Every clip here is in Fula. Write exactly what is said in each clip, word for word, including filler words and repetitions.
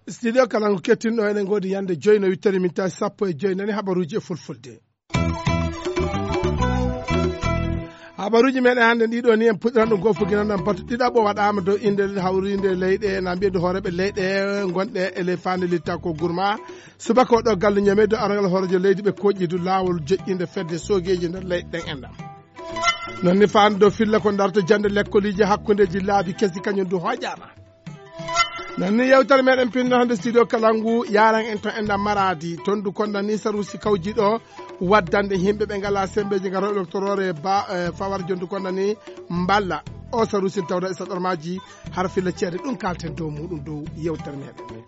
Studio Kalangu kettinɗo, eɗen ngoodi yande joyi no wittani min tawi sappo e joyi nani habaruuji e fulfulde. Habaruuji meɗen hannde ɗiɗo ni, en puɗɗiran ɗum goo fof, ginan ɗam batu ɗiɗaɓo waɗaama dow innde hawriinde leyɗe, na mbiyede hooreeɓe leyɗe gonɗe e ley faande litta ko gurma. Subaka o ɗo galle Ñame dow arangal hooreejo leydi ɓe koƴƴi du laawol joƴƴinde fedde soogeeji nder leyɗe ɗen enɗam. Non ni faande dow filla ko darto jannde lekkoliiji hakkundeeji laabi kesi kañum du hooƴaama. Non ni yewtere meɗen pinno hannde studio Kalangu yaran en to enɗam Maradi. Ton du konda ni sarusi kawjiɗo waddande yimɓe ɓe ngala sembeeji ngarooɓe ɗo toroore ba, eh, fawar jondu konda ni mballa. O sarusi tawda e saɗormaji har filla ceede ɗum kalten dow muɗum dow yewtere meɗen.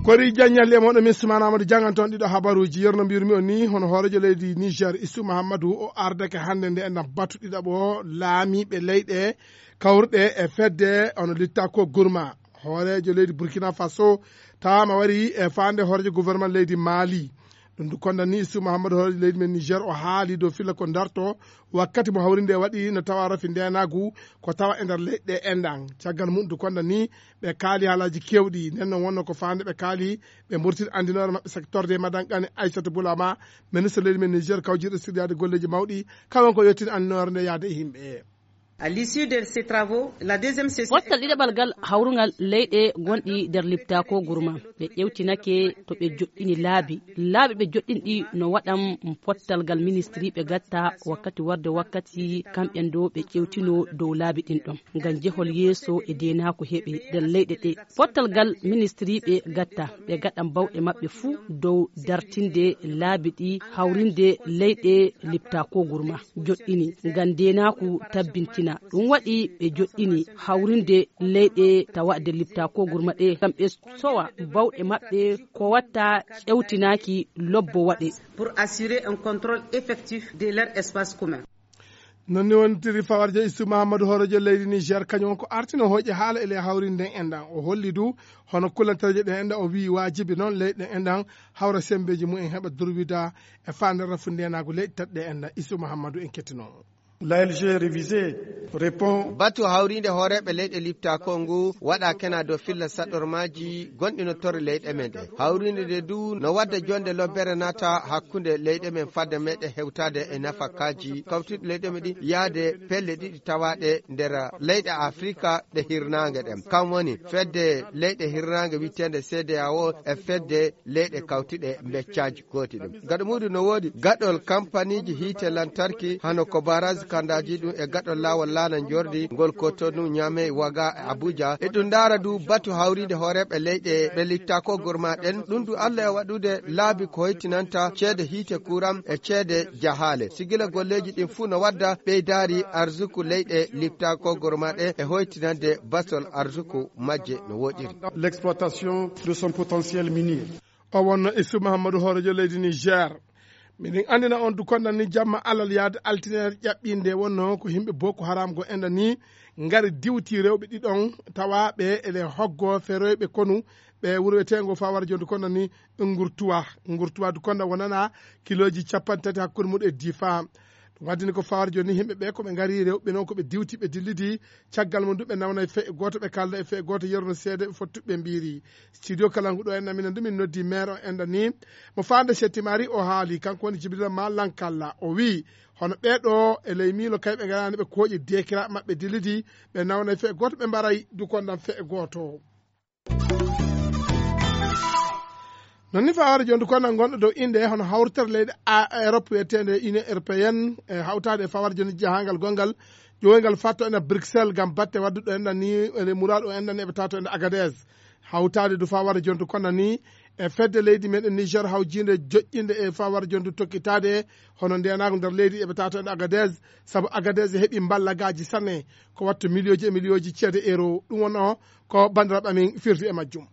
Kori Diagne Liam, on ɗo min Soumana Amadou Diangan toon ɗiɗo habaruuji. Yerno mbiyirmi on ni, hono hooreejo leydi Niger, Issou Mahamadou, o ardake hannde nde enɗam batu ɗiɗaɓo laamiiɓe leyɗe kawruɗe e fedde ono litta ko gurma. Hooreejo leydi Burkina Faso tawaama wari e faande hooreejo gouvernement leydi Mali. Ɗum du konda ni Issou Mahamadou, hooreejo leydi men Niger, o haali dow filla ko darto wakkati mo hawrinde waɗi no tawa rafi ndenaagu ko tawa e nder leyɗe enɗam. Caggal mum du konda ni ɓe kaali haalaaji keewɗi. Nden noon wonno ko faande ɓe kaali ɓe mburtin anndinoore maɓɓe secteur de Madan Kane Aissata Boulama, ministre leydi men Niger kawjiiɗo siryaade golleeji mawɗi, kawan ko yettin anndinoore nde yaade e yimɓe. À l'issue de ces travaux, la deuxième session. Pottal ɗiɗaɓal gal hawrungal leyɗe gonɗi nder lipta ko gurma. Ɓe ƴewtinake to ɓe joɗɗini laabi. Laabi ɓe joɗɗini ɗi no waɗan pottal gal ministri ɓe gatta wakkati warde wakkati kamɓen ɗo ɓe ƴewtino dow laabi ɗin ɗon. Ngam jehol yeeso e deenaako heɓe nder leyɗe ɗe. Pottal gal ministri ɓe gatta, ɓe gaɗan bawɗe maɓɓe fuu dow dartinde laabi ɗi hawrinde leyɗe lipta ko gurma. Joɗɗini ngam deenaaku tabbintina. Ɗum waɗi ɓe joɗɗini hawrinde leyɗe tawa de lipta ko gurma ɗe. Ngam ɓe sowa bawɗe maɓɓe ko watta ƴewtinaaki lobbo waɗe. Pour assurer un contrôle effectif de leur espace commun. Non ni wontiri fawarjo Issou Mahamadou hoorejo leydi Niger, kañum on ko artino hooƴe haala e ley hawri nden enɗan. O holli du hono kulantareje ɗen enɗan, o wi'i waajibi noon leyɗe ɗen enɗan hawra sembeeji mum en heɓa durwida e faande rafu ndenaagu leyɗe taɗɗe enɗan. Issou Mahamadou en kettino. L'A L G révisé répond. Batu hawriinde hooreeɓe leyɗe lipta ko ngu waɗa kena dow filla saɗɗormaaji gonɗi no torre leyɗe men ɗe. Hawriinde nde du no wadda jonde lobbere naata hakkunde leyɗe men fadde meɗe hewtaade e nafakaaji kawtuɗi leyɗe men ɗi yaade pelle ɗiɗi tawaaɗe nder leyɗe Afrika ɗe hirnaange ɗen. Kam woni fedde leyɗe hirnaange wi'eteende C D A O e fedde leyɗe kawtuɗe mbeccaaji gooti ɗum. Gaɗo muuɗum no woodi gaɗol kampaniiji hiite lantarki hano ko baraaji kandaaji ɗum e gaɗol laawol laana njordi ngol Cotonou, Niamey, Ouaga e Abuja. E ɗum ndaara du batu hawriinde hooreeɓe leyɗe ɓe litta ko gurma ɗen. Ɗum du Allah e waɗude laabi ko hoytinanta ceede hiite kuuram e ceede jahaale. Sigila golleeji ɗin fuu no wadda ɓeydaari arsuku leyɗe litta ko gurma ɗe e hoytinande basol arsuku majje no woɗiri. L'exploitation de son potentiel minier. O wonno Issou Mahamadou hoorejo leydi Niger. Miɗen anndina on du konda ni jamma alal yaade altine ƴaɓɓinde wonno ko yimɓe Boko Haram go enɗan ni ngari diwti rewɓe ɗiɗon tawaaɓe ele hoggo feroyɓe konu ɓe wuro wiyeteengo Fawar jondu konda ni Ngurtuwa. Ngurtuwa du konda wonana kilooji capanɗe tati hakkunde mum e Difa. Ɗum waddini ko Fawar joni yimɓe ɓe ko ɓe ngari rewɓe noon ko ɓe diwti ɓe dillidi. Caggal mum du ɓe nawna e fe'e gooto, ɓe kalda e fe'e gooto, yerno seede ɓe fottuɓe ɓe mbiiri. Studio Kalangu ɗo en, amina ndu min noddi maire o enɗan ni mo faande Settimari, o haali, kanko woni Jibrila Malankalla, o wi'i hono ɓee ɗo e ley miilo kay ɓe ngaraani ɓe kooƴi deekiraaɓe maɓɓe dillidi, ɓe nawna e fe'e gooto, ɓe mbaray du kondan fe'e gooto. Non ni fawaade jonde kondan gonɗo dow innde hono hawritere leyɗe a-, Europe wiyeteende Union Européenne, e hawtaade e fawaade jonde jahangal gongal ƴowoyngal fatto ene Bruxelles ngam batte wadduɗo enɗan ni, ene muraɗo enɗan ni eɓe tato ene Agadez. Hawtaade du fawaade jonde kondan ni e fedde leydi meɗen Niger hawjinde joƴƴinde e fawaade jonde tokkitaade hono ndenaagu nder leydi eɓe tato ene Agadez, sabu Agadez heɓi mballagaaji sanne ko wattu miliyooji e miliyooji ceede euro. Ɗum wonno ko banndiraaɓe amin firti e majjum.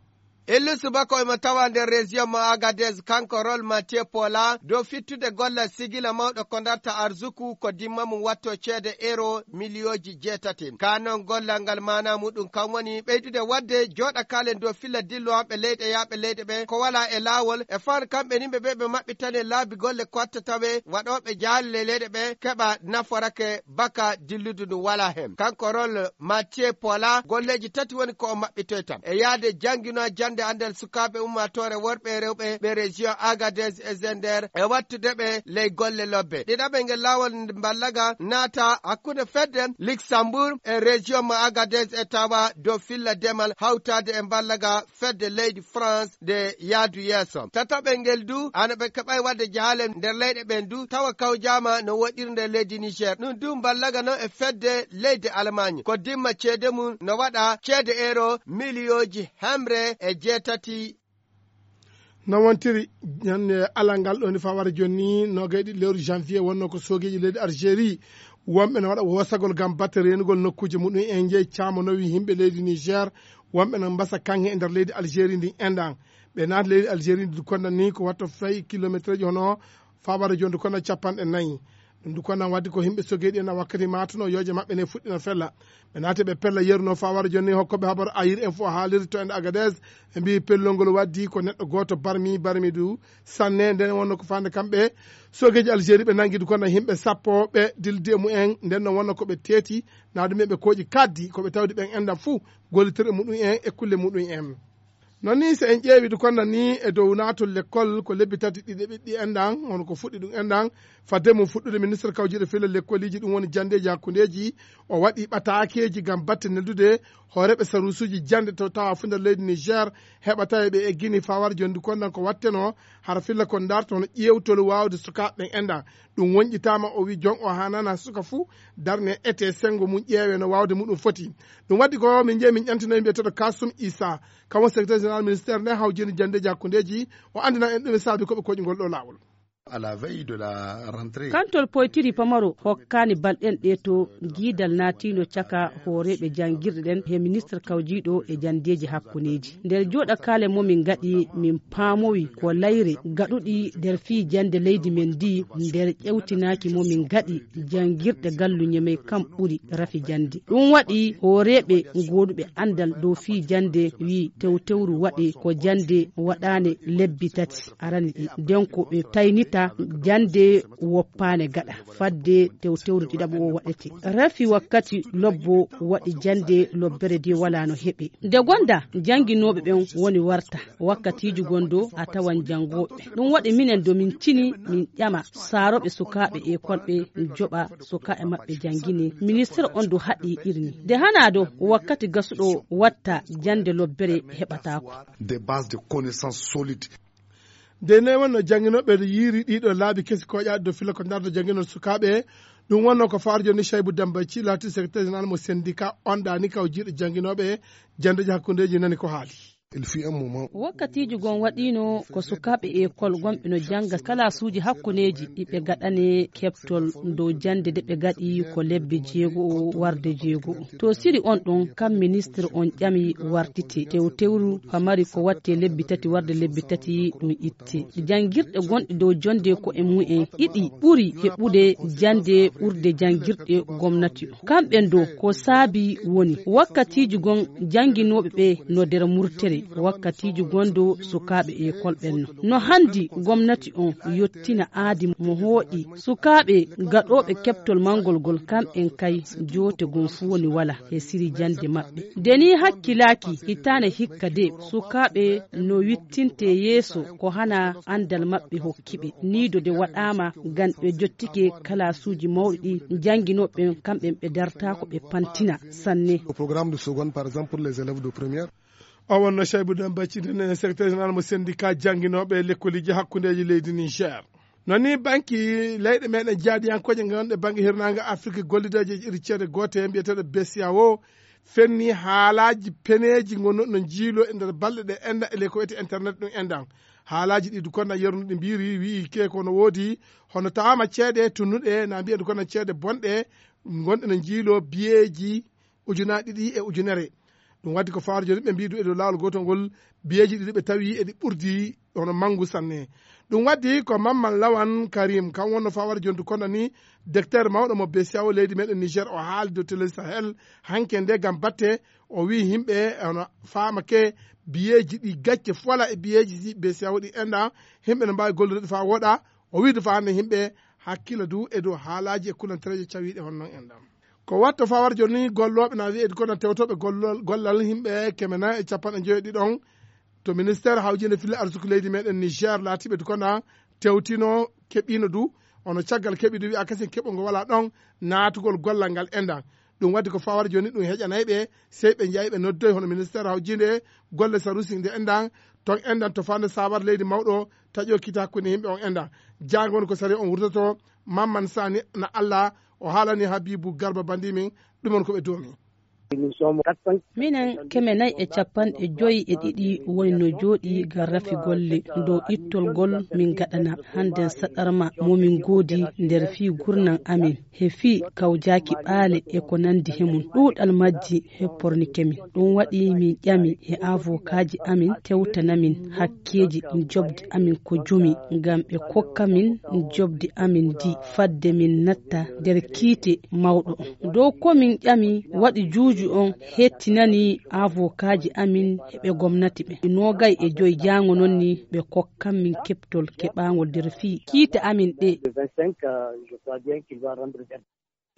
Illu subako emo tawa nder région mo Agadez, kanko Rol Mathieu Paula, dow fittude gollal sigila mawɗo ko darta arzuku ko dimma mum watto ceede euro miliyooji jeetati. Ka non gollal ngal maana muɗum kan woni ɓeydude waɗde jooɗa kaalen dow filla dillowanɓe leyɗe yaaɓe leyɗe ɓe ko wala e laawol e faan kamɓe nimɓe ɓe ɓe maɓɓitane laabi golle ko watta tawe waɗooɓe jaalle leyɗe ɓe keɓa naforake baka dilludu ndu wala hen. Kanko Rol Mathieu Paula golleeji tati woni ko o maɓɓitoyta. E yaade janngino jannde anndal sukaaɓe ummaatoore worɓe e rewɓe ɓe région Agadez e Zender e wattude ɓe ley golle lobbe. Ɗiɗaɓel ngel laawol mballaga naata hakkunde fedde Luxembourg e région mo Agadez e tawa dow filla demal hawtaade e mballaga fedde leydi France nde yaadu yeeso. Tataɓel ngel du, ana ɓe keɓay waɗde jaale nder leyɗe ɓen du, tawa kawjaama no woɗɗiri nder leydi Niger. Ɗum du mballaga non e fedde leydi Allemagne. Ko dimma ceede mum no waɗa ceede euro miliyooji hemre e jeetati. No wontiri ñande alal ngal ɗoni fawara jonni, nogay ɗiɗi lewru janvier, wonno ko soogeeji leydi Algérie wonɓe no waɗa wosagol ngam batte reenugol nokkuuje muɗum en jeyi caamo nawi yimɓe leydi Niger, wonɓe no mbasa kaŋŋe e nder leydi Algérie ndin enɗan. Ɓe naata leydi Algérie ndi konda ni ko watta fayi kilometreji hono fawara jonni konda capanɗe nayi. Ɗum du konda waddi ko yimɓe sogeeɗi en a wakkati matuno yooje maɓɓe ne fuɗɗino fella. Ɓe naati ɓe pella yeru no fawara jonni hokkoɓe habaru ayir en fof haaliri to ende Agadez. Ɓe mbi pellol ngol waddi ko neɗɗo gooto barmi, barmi du sanne. Nden wonno ko fande kamɓe sogeeji Algérie ɓe nangi du konda yimɓe sappo ɓe dildi e mumen. Nden no wonno ko ɓe teeti na ɗum ɓe kooƴi kaddi ko ɓe tawdi ɓen enɗan fuu gollitirɗe muɗum en e kulle muɗum en. Non ni so en ƴeewi du konda ni e dow naatol lekkol ko lebbi tati ɗiɗi ɓiɗɗi enɗan, hono ko fuɗɗi ɗum enɗan. Fadde mum fuɗɗude, ministre kawjiiɗo filla lekkoliji, ɗum woni jandeeji hakkundeeji, o waɗi ɓataakeeji ngam batte neldude hooreeɓe saruusuuji jannde to tawa fuu nder leydi Niger, heɓa tawi ɓe eggini fawar jonnde kon ɗan ko watteno, hara filla kon darto hono ƴeewtol waawde sukaaɓe ɓen enɗan. Ɗum wonƴitaama, o wi jon o haanana suka fuu darne ete senngo mum ƴeewe no waawde muɗum foti. Ɗum waɗi ko min njehi min ƴantinoyi mbiyeteeɗo Kasum Isa, kamo secrétaire général ministère nde hawjini janndeeji hakkundeeji, o anndina en ɗum e saabi ko ɓe koƴi ngol ɗo laawol. Kantol poytiri pamaro hokkaani balɗen ɗe to giidal naatiino caka hooreeɓe janngirɗe ɗen he ministre kawjiiɗo e janndeeji hakkuneeji. Nder jooɗakaale mo min ngaɗi, min paamowi ko layre gaɗuɗi nder fii jannde leydi men ndi, nder ƴewtinaaki mo min ngaɗi, janngirɗe gallu Ñemey kam ɓuri rafi jannde. Ɗum waɗi hooreeɓe gooduɓe anndal dow fii jannde wi tewtewru waɗe ko jannde waɗaane lebbi tati arani ɗi. Nden ko ɓe taynita jannde woppaane gaɗa fadde tewtewru ɗiɗaɓo o waɗete. Rafi wakkati lobbo waɗi jannde lobbere de wala no heɓe. Nde gonda jannginooɓe ɓen woni warta. Wakkatiiji gondo a tawan janngooɓe. Ɗum waɗi minen do min cini min ƴama saarooɓe sukaaɓe ekol ɓe joɓa sukaaɓe maɓɓe janngine. Ministre on do haɗi irni. Nde hana do wakkati gasuɗo watta jannde lobbere heɓataako. Des bases de connaissances solides. Nde ne wonno jannginooɓe yiiri ɗiɗo laabi kesi koƴaaɗi do filla ko darto jannginol sukaaɓe. Ɗum wonno ko faarjo ni Chaybu Damba Ci laati secrétaire général mo syndicat on ɗaani kaw jiiɗo jannginooɓe janndeeji hakkundeeji nani ko haali. Il fut un moment. Wakkatiiji gon waɗiino ko sukaaɓe ekol gonɓe no jannga kalaasuuji hakkuneeji ɗi ɓe gaɗane keɓtol dow jannde de ɓe gaɗi ko lebbi jeego warde jeego. To siri on ɗon kam ministre on ƴami wartite tewtewru pamari ko watte lebbi tati warde lebbi tati ɗum itte. Janngirɗe gonɗe dow jonnde ko e mumen ɗiɗi ɓuri heɓude jannde ɓurde janngirɗe gomnati. Kamɓe do ko saabi woni wakkatiiji gon jannginooɓe ɓe no nder murtere, wakkatiiji gon do sukaaɓe ekol ɓen no. No handi gomnati on yottina aadi mo hooƴi sukaaɓe gaɗooɓe keɓtol manngol gol kamɓen kay joote gon fuu woni wala e siri jannde maɓɓe. Nde ni hakkilaaki hitaane hikka de sukaaɓe no wittinte yeeso ko hana anndal maɓɓe hokki ɓe. Nii do de waɗaama ngam ɓe jottike kalaasuuji mawɗi ɗi jannginooɓe ɓen kamɓen ɓe dartaako ɓe pantina sanne. Au programme de seconde, par exemple, pour les élèves de première. O wonno Chaybu Damba Ci nden secrétaire général mo syndicat jannginooɓe lekkoliji hakkundeeji leydi Niger. Non ni banki leyɗe meɗen jaadiyankooje ngonɗe bannge hirnaange Afrik gollideeje iri ceede goote mbiyeteeɗo B C E A O fenni haalaaji peneeji ngonno no njiilo e nder balɗe ɗe enda e ley ko wiyete internet ɗum endan. Haalaaji ɗi du konda yernuɗi mbiiri wi'i ke ko no woodi hono taama ceede tunnuɗe na mbiya du konda ceede bonɗe ngonɗe no njiilo biyeeji ujunaaji ɗiɗi e ujunere. Ɗum waɗi ko fawar joni ɓe mbiyi du e dow laawol gootol ngol, biyeeji ɗiɗi ɓe tawi eɗi ɓurdi hono manngu sanne. Ɗum waɗi ko Mamman Lawan Karim, kam wonno fawar joni du konda ni, docteur mawɗo mo B C E A O leydi meɗen Niger, o haali dow Télé Sahel hanke nde gam batte, o wiyi yimɓe hono faamake biyeeji ɗi gacce fola e biyeeji ɗi B C E A O ɗi enɗa, yimɓe no mbaawi gollude faa woɗa. O wiyi du faa hannde yimɓe hakkila du e dow haalaaji e kulantereeje cawiiɗe hono noon enɗa. Ko watto fawar joni gollooɓe na wiye kono tewtooɓe gollal, gollal yimɓe keme nayi e capanɗe njoyo ɗiɗon to ministère hawjinde filla arsuku leydi meɗen Niger laatiiɓe du konda tewtino keɓino du, ono caggal keɓi du wiya kasen keɓol ngol wala ɗon naatugol gollal ngal enɗa. Ɗum waɗi ko fawar joni ɗum heƴanay ɓe, sey ɓe njahi ɓe noddoy hono ministère hawjinde golle sarusi nde enɗan, ton enɗan to fande sawar leydi mawɗo taƴo kita hakkunde yimɓe on enɗan. Jangon ko sari on wurtoto, Mamman Sani na Allah, o haalani Habibu Garba bandi min, ɗum on ko ɓe doomi. Minen keme nayi e capanɗe joyi e ɗiɗi woni no jooɗi ga rafi golle dow ittol ngol min gaɗana hannden saɗarma mo min goodi nder fii gurnan amin, he fii kawjaaki ɓaale e ko nandi he mum. Ɗuuɗal majji heppornike min. Ɗum waɗi min ƴami he avokaaji amin tewtana min hakkeeji jobdi amin ko jumi, ngam ɓe kokka min jobdi amin ndi fadde min natta nder kiite mawɗo on. Dow ko min ƴami waɗi juuju on hettinani avokaaji amin e ɓe gomnati ɓe. Noogay e joy jaango non ni ɓe kokkan min keɓtol keɓaangol nder fii kiite amin ɗe.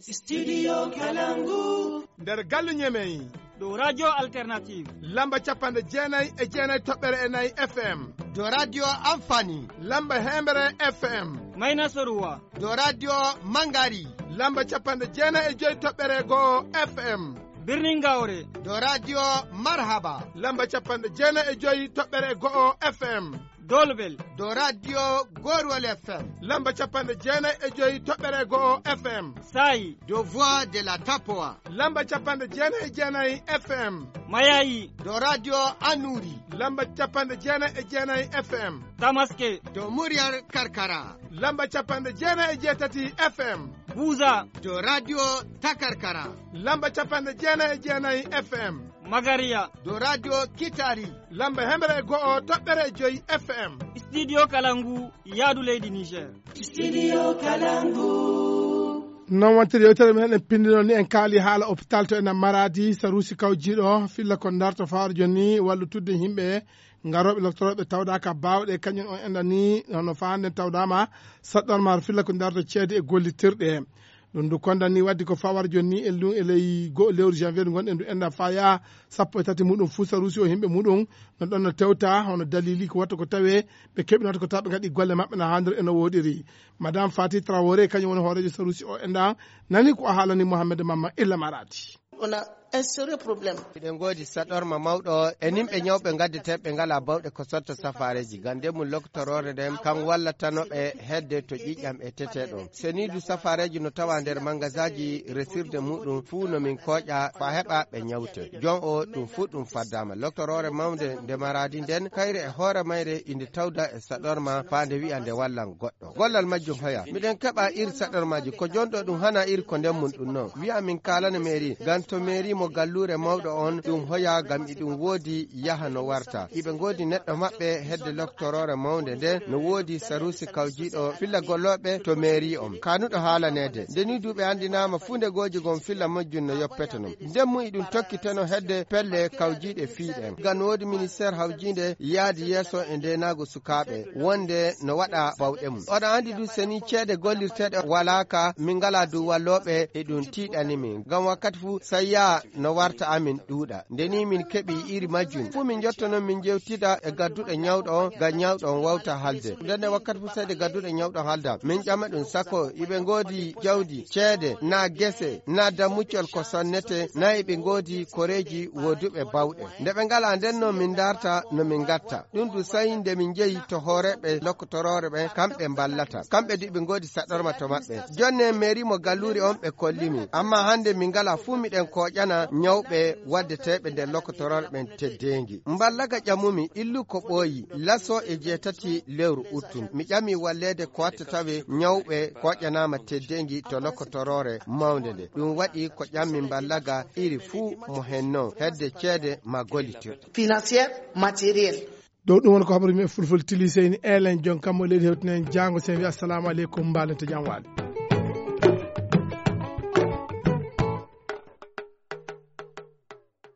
Studio Kalangu. Nder galle Ñemey. Ɗo Radio Alternative. Lamba capanɗe jeenayi e jeenayi toɓɓere e nayi F M. To Radio Amfani. Lamba heembere F M. Mayna Soruwa. To Radio Mangari. Lamba capanɗe jeenayi e joyi toɓɓere go'o F M. Birnin Gawre. To Radio Marhaba. Lamba capanɗe jeenayi e joyi toɓɓere go'o F M. Dolbel. To Radio Gorwal F M. Lamba capanɗe jeenayi e joyi toɓɓere go'o F M. Sayi. To Voix de la Tapoa. Lamba capanɗe jeenayi e jeenayi F M. Mayayi. To Radio Anuri. Lamba capanɗe jeenayi e jeenayi F M. Tamaske. To Muryar Karkara. Lamba capanɗe jeenayi e jeetati F M. Buza. To Radio Takarkara. Lamba capanɗe jeenayi e jeenayi F M. Magariya. To Radio Kitari. Lamba hemre e go'o toɓɓere e joyi F M. Studio Kalangu, yaadu leydi Niger. Studio Kalangu. Noon wontir yewtere men en pindino ni en kaali haala hôpital to ena Maradi, Sarusi Kawjiiɗo, filla ko darto fawar joni wallitudde yimɓe ngarooɓe lottorooɓe tawdaaka baawɗe, kañum on enɗa ni hono faa hannden tawdaama saɗɗorma filla ko darto ceede e gollitirɗe. Ɗum ndu kondan ni waddi ko fawar joni ni e lu-, e ley go'o lewru janvier ndu ngonɗen ndu enɗa faya sappo e tati muɗum fuu Sarusi o yimɓe muɗum no ɗon no tewta hono dalili ko watta ko tawe ɓe keɓinata ko tawa ɓe ngaɗi golle maɓɓe no haandir e no woɗiri. Madame Fati Traoré kañum woni hooreejo Sarusi o enɗa nani ko o haalani Mohamed Mamma Illa Maradi. On a un sérieux problème. Miɗen ngoodi saɗorma mawɗo e nimɓe ñawɓe ngaddeteeɓe ngalaa bawɗe ko sotto safaareeji. Ngam nden mum loktoroore nden kam wallatano ɓe hedde to ƴiƴam e tete ɗon. Seniidu safaareeji no tawa nder mangasaaji resirde muɗum fuu no min kooƴa faa heɓa ɓe ñawte. Jon o ɗum fuu ɗum faddaama. Loktoroore mawnde nde Maradi nden kayre e hoore mayre inde tawda e saɗorma faa nde wi'a nde wallan goɗɗo. Gollal majjum hoya. Miɗen keɓa iri saɗormaaji. Ko jonɗo ɗum hana iri ko nden mum ɗum non. Wi'a min kaalana mairie. Ngam to mairie mo galluure mawɗo on, ɗum hoya ngam iɗum woodi yaha no warta. Iɓe ngoodi neɗɗo maɓɓe hedde loktoroore mawnde nde, no woodi Sarusi Kawjiiɗo filla gollooɓe to mairie on. Kaanuɗo haalaneede. Nde ni duuɓe anndinaama fuu nde gooji gon filla majjum no yoppete non. Nden mum iɗum tokkiteno hedde pelle kawjiiɗe fii ɗen. Ngam no woodi ministère hawjiinde yaadi yeeso e ndeenaagu sukaaɓe wonde no waɗa bawɗe mum. Oɗon anndi du seni ceede gollirteeɗe walaaka, min ngalaa du wallooɓe e ɗum tiiɗani min. Ngam wakkati fuu sai yaha no warta amin ɗuuɗa. Nde ni min keɓi iri majjum fuu min njotto non min njewtida e gadduɗo ñawɗo on ngam ñawɗo on wawta halde. Nden e wakkati fuu sai de gadduɗo ñawɗo halda. Min ƴama ɗum sako iɓe ngoodi jawdi, ceede, naa gese, naa dammuccol ko sonnete, naa iɓe ngoodi koreeji wooduɓe bawɗe. Nde ɓe ngalaa nden no min ndarta no min ngatta. Ɗum du sai nde min njehi to hooreeɓe lokkotoroore ɓen, kamɓe mballata. Kamɓe du iɓe ngoodi saɗɗorma to maɓɓe. Jonne mairie mo galluure on ɓe kolli min. Amma hande min ngalaa fuu miɗen kooƴana ñawɓe waddeteeɓe nder lokotoroore ɓen teddeengi. Mballaga ƴamumi illu ko ɓooyi laso e jeetati lewru uttu. Mi ƴami walleede ko watta tawe ñawɓe koƴƴanaama teddeengi to lokotoroore mawnde nde. Ɗum waɗi ko ƴammi mballaga iri fuu mo hen non, hedde ceede ma gollitirɗe. Financière, matériel. Ɗo ɗum woni ko habaru men fulfulde tili seyni elen jon kammo leydi hewtinen jaango sen wi assalamu aleykum, mbaalen to jam waali.